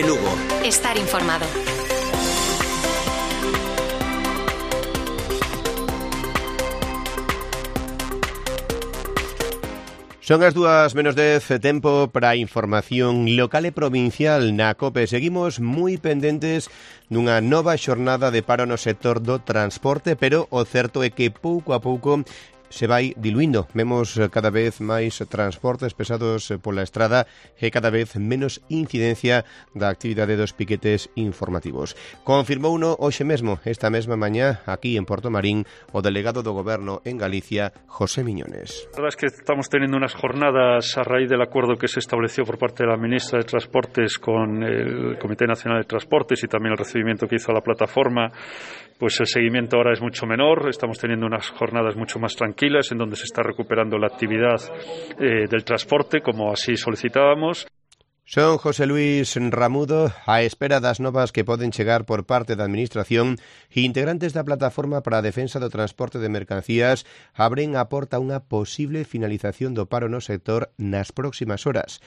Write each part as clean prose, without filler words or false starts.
Teleelche Lugo. Estar informado. Son as 2:10, tempo para a información local e provincial na COPE. Seguimos moi pendentes dunha nova xornada de paro no sector do transporte, pero o certo é que pouco a pouco se vai diluindo. Vemos cada vez máis transportes pesados pola estrada e cada vez menos incidencia da actividade dos piquetes informativos. Confirmouno hoxe mesmo, esta mesma mañá, aquí en Portomarín, o delegado do Goberno en Galicia, José Miñones. La verdad es que estamos teniendo unas jornadas a raíz del acuerdo que se estableció por parte de la ministra de Transportes con el Comité Nacional de Transportes y también el recibimiento que hizo a la plataforma. Pues el seguimiento ahora es mucho menor, estamos teniendo unas jornadas mucho más tranquilas en donde se está recuperando la actividad del transporte, como así solicitábamos. Son José Luis Ramudo, á espera das novas que poden chegar por parte da Administración, e integrantes da Plataforma para a Defensa do Transporte de Mercancías abren a porta a unha posible finalización do paro no sector nas próximas horas.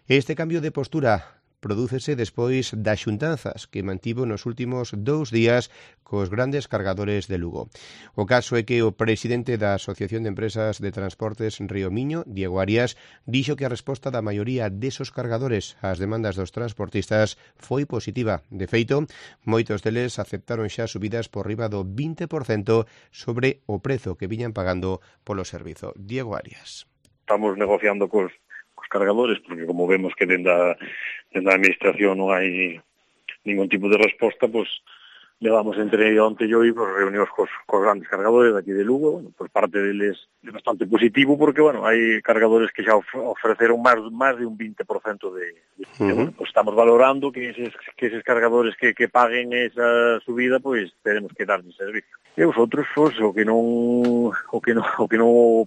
Este cambio de postura prodúcese despois das xuntanzas que mantivo nos últimos 2 días cos grandes cargadores de Lugo. O caso é que o presidente da Asociación de Empresas de Transportes Río Miño, Diego Arias, dixo que a resposta da maioría desos cargadores ás demandas dos transportistas foi positiva. De feito, moitos deles aceptaron xa subidas por riba do 20% sobre o prezo que viñan pagando polo servizo. Diego Arias. Estamos negociando cos cargadores, porque como vemos que dentro da administración non hai ningún tipo de resposta, pues levamos entre onte e hoy pues, reunións cos grandes cargadores aquí de Lugo. Bueno, pues parte deles é bastante positivo porque, bueno, hai cargadores que xa ofreceron máis de un 20% bueno, pues estamos valorando que eses cargadores que paguen esa subida, pues teremos que darles servicio. E os outros, pues, o que non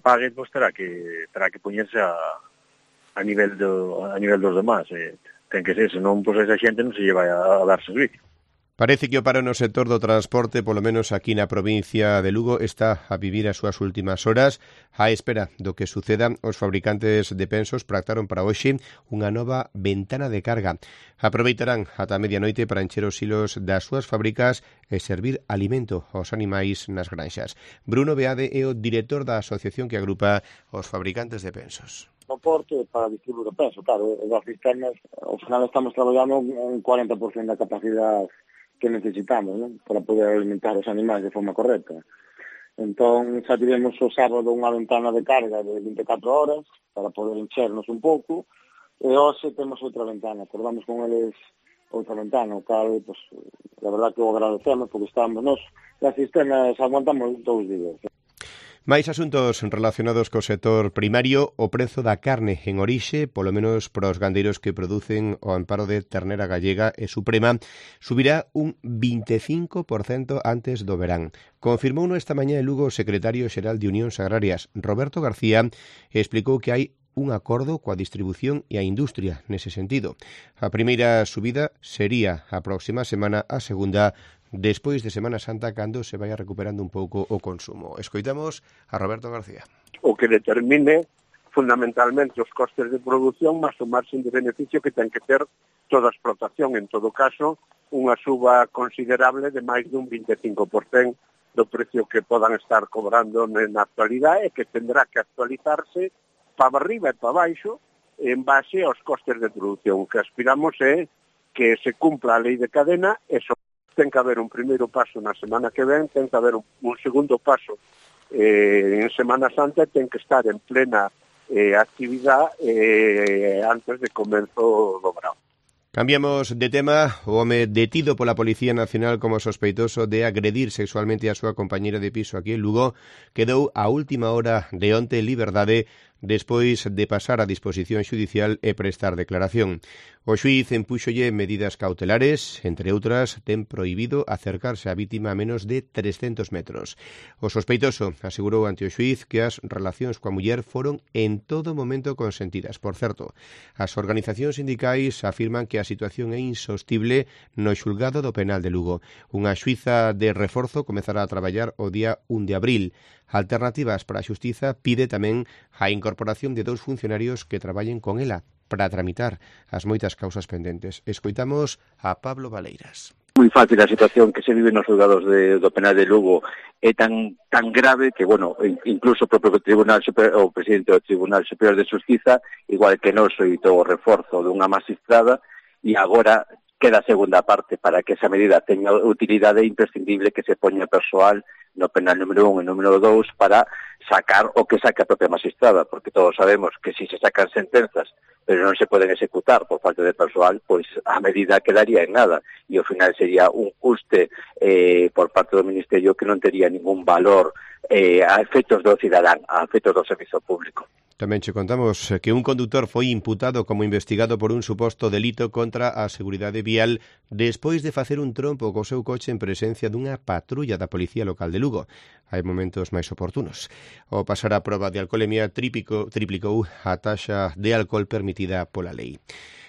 pague, pues terá que poñerse a nivel dos demás. Ten que ser, senón, pois esa xente non se lle vai a dar servicio. Parece que o paro no sector do transporte, polo menos aquí na provincia de Lugo, está a vivir as súas últimas horas. A espera do que suceda, os fabricantes de pensos pactaron para hoxe unha nova ventana de carga. Aproveitarán ata medianoite para encher os hilos das súas fábricas e servir alimento aos animais nas granxas. Bruno Beade é o director da asociación que agrupa os fabricantes de pensos. No porto para distribuir o peso, claro, as cisternas, ao final estamos traballando un 40% da capacidade que necesitamos, ¿no?, para poder alimentar os animais de forma correcta. Entón, xa tivemos o sábado unha ventana de carga de 24 horas para poder enchernos un pouco, e hoxe temos outra ventana, acordamos con eles outra ventana, o cal, pues, la verdad que o agradecemos, porque estamos, as cisternas aguantamos 2 días. Máis asuntos relacionados co sector primario, o prezo da carne en orixe, polo menos para os gandeiros que producen o amparo de ternera gallega e suprema, subirá un 25% antes do verán. Confirmouno esta mañá en Lugo o secretario xeral de Unións Agrarias, Roberto García, explicou que hai un acordo coa distribución e a industria nese sentido. A primeira subida sería a próxima semana, a segunda despois de Semana Santa, cando se vai recuperando un pouco o consumo. Escoitamos a Roberto García. O que determine fundamentalmente os costes de produción máis o marxen de beneficio que ten que ter toda a explotación. En todo caso, unha suba considerable de máis dun 25% do precio que podan estar cobrando na actualidade e que tendrá que actualizarse para arriba e para baixo en base aos costes de produción. O que aspiramos é que se cumpla a lei de cadena e ten que haber un primeiro paso na semana que ven, ten que haber un segundo paso en Semana Santa, ten que estar en plena actividade antes de comenzo do verán. Cambiamos de tema. O home detido pola Policía Nacional como sospeitoso de agredir sexualmente a súa compañeira de piso aquí en Lugo quedou a última hora de onte en liberdade despois de pasar a disposición xudicial e prestar declaración. O xuíz empúxolle medidas cautelares, entre outras, ten prohibido acercarse á vítima a menos de 300 metros. O sospeitoso asegurou ante o xuíz que as relacións coa muller foron en todo momento consentidas. Por certo, as organizacións sindicais afirman que a situación é insostible no xulgado do penal de Lugo. Unha xuíza de reforzo comezará a traballar o día 1 de abril. Alternativas para a Xustiza pide tamén a incorporación de 2 funcionarios que traballen con ela. para tramitar as moitas causas pendentes. Escoitamos a Pablo Valeiras. Moi fácil a situación que se vive nos xulgados do penal de Lugo é tan grave que, bueno, incluso o propio Tribunal Superior, o presidente do Tribunal Superior de Xustiza, igual que non soitou o reforzo dunha magistrada, e agora queda a segunda parte para que esa medida teña utilidade imprescindible que se poña persoal no penal número 1 e número 2 para sacar o que saca a propia magistrada, porque todos sabemos que si se sacan sentenzas pero non se poden executar por falta de persoal, pois a medida quedaría en nada e ao final sería un custe por parte do Ministerio que non tería ningún valor a efectos do cidadán, a efectos do servizo público. Tamén che contamos que un condutor foi imputado como investigado por un suposto delito contra a seguridade vial despois de facer un trompo co seu coche en presencia dunha patrulla da Policía Local de Lugo. Hai momentos máis oportunos. O pasar a proba de alcolemia triplicou a taxa de alcohol permitida pola lei.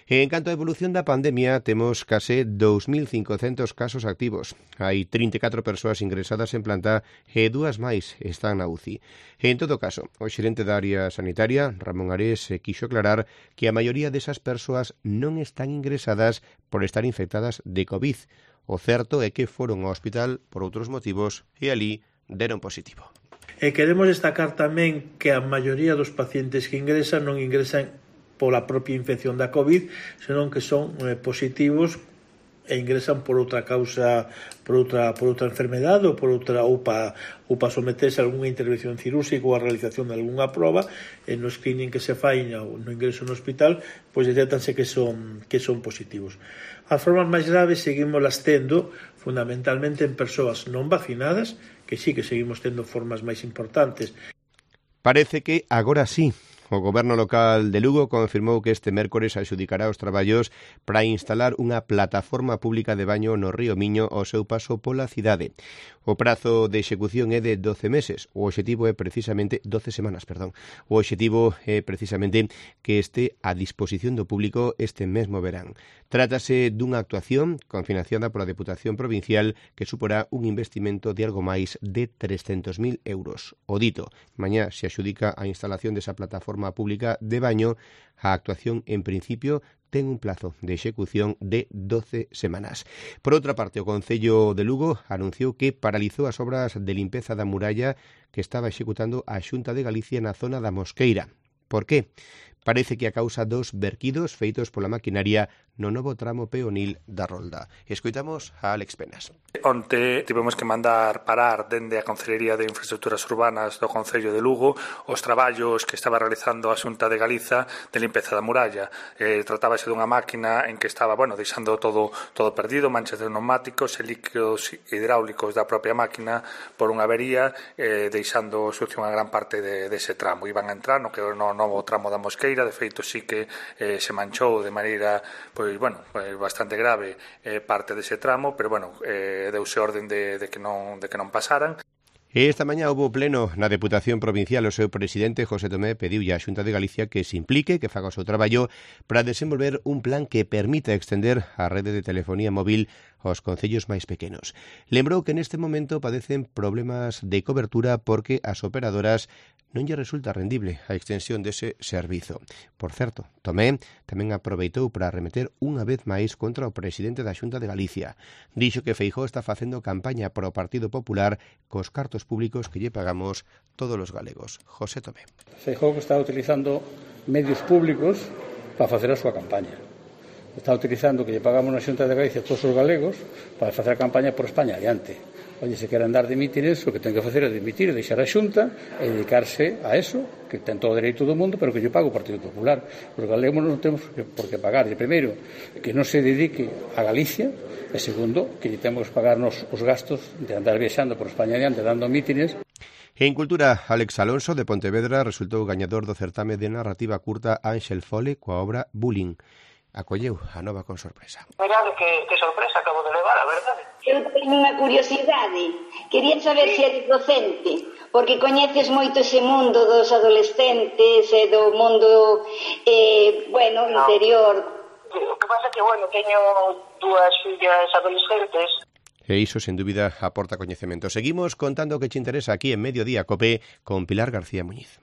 En canto á evolución da pandemia, temos case 2.500 casos activos. Hai 34 persoas ingresadas en planta e 2 máis están na UCI. En todo caso, o xerente da área sanitaria, Ramón Ares, quixo aclarar que a maioría desas persoas non están ingresadas por estar infectadas de COVID. O certo é que foron ao hospital por outros motivos e ali deron positivo. E queremos destacar tamén que a maioría dos pacientes que ingresan non ingresan pola propia infección da COVID, senón que son positivos e ingresan por outra causa, por outra enfermedade ou por outra para someterse a algunha intervención cirúrxica ou a realización de algunha proba, e no screening que se fai no ingreso no hospital, pois detectanse que son positivos. As formas máis graves seguimos las tendo fundamentalmente en persoas non vacinadas, que sí que seguimos tendo formas máis importantes. Parece que agora sí. O Goberno local de Lugo confirmou que este mércores adxudicará os traballos para instalar unha plataforma pública de baño no río Miño ao seu paso pola cidade. O prazo de execución é de 12 meses. O obxectivo é precisamente 12 semanas, perdón. O obxectivo é precisamente que este a disposición do público este mesmo verán. Trátase dunha actuación confinanciada pola Deputación Provincial que suporá un investimento de algo máis de 300.000 euros. O dito, mañá se adxudica a instalación desa plataforma pública de baño. A actuación, en principio, ten un plazo de execución de 12 semanas. Por outra parte, o Concello de Lugo anunciou que paralizou as obras de limpeza da muralla que estaba executando a Xunta de Galicia na zona da Mosqueira. Por qué? Parece que a causa dos verquidos feitos pola maquinaria no novo tramo peonil da Rolda. Escoitamos a Alex Penas. Onte tivemos que mandar parar dende a Concellería de Infraestructuras Urbanas do Concello de Lugo os traballos que estaba realizando a Xunta de Galiza de limpeza da muralla. Tratábase dunha máquina en que estaba, deixando todo perdido, manchas de pneumáticos e líquidos hidráulicos da propia máquina por unha avería, deixando sucio unha gran parte dese tramo. Iban a entrar no novo tramo da Mosqueira. De feito, sí que se manchou de maneira bastante grave parte dese tramo, pero deuse orden de que non pasaran. Esta mañá houve pleno na Deputación Provincial. O seu presidente, José Tomé, pediulle á Xunta de Galicia que se implique, que faga o seu traballo para desenvolver un plan que permita extender a rede de telefonía móvil aos concellos máis pequenos. Lembrou que neste momento padecen problemas de cobertura porque as operadoras non lle resulta rendible a extensión dese servizo. Por certo, Tomé tamén aproveitou para arremeter unha vez máis contra o presidente da Xunta de Galicia. Dixo que Feijóo está facendo campaña para o Partido Popular cos cartos públicos que lle pagamos todos os galegos. José Tomé. Feijóo está utilizando medios públicos para facer a súa campaña. Está utilizando que lle pagamos na Xunta de Galicia todos os galegos para facer a campaña por España adiante. Oye, se queren dar dimítires, o que ten que facer é dimitir, deixar a Xunta e dedicarse a eso, que ten todo o dereito do mundo, pero que lle paga o Partido Popular. Os galegos non temos por que pagar. E primeiro, que non se dedique a Galicia, e segundo, que lle temos que pagarnos os gastos de andar viaxando por España adiante, dando mítines. En Cultura, Alex Alonso, de Pontevedra, resultou gañador do certame de narrativa curta Ángel Fole coa obra Bullying. Acolleu a nova con sorpresa. Mirade que sorpresa acabo de levar, a verdade. Eu teño unha curiosidade. Quería saber se eres docente, porque coñeces moito ese mundo dos adolescentes e do mundo, interior. O que pasa é que, teño dúas fillas adolescentes. E iso, sen dúbida, aporta coñecemento. Seguimos contando o que te interesa aquí en Mediodía Cope con Pilar García Muñiz.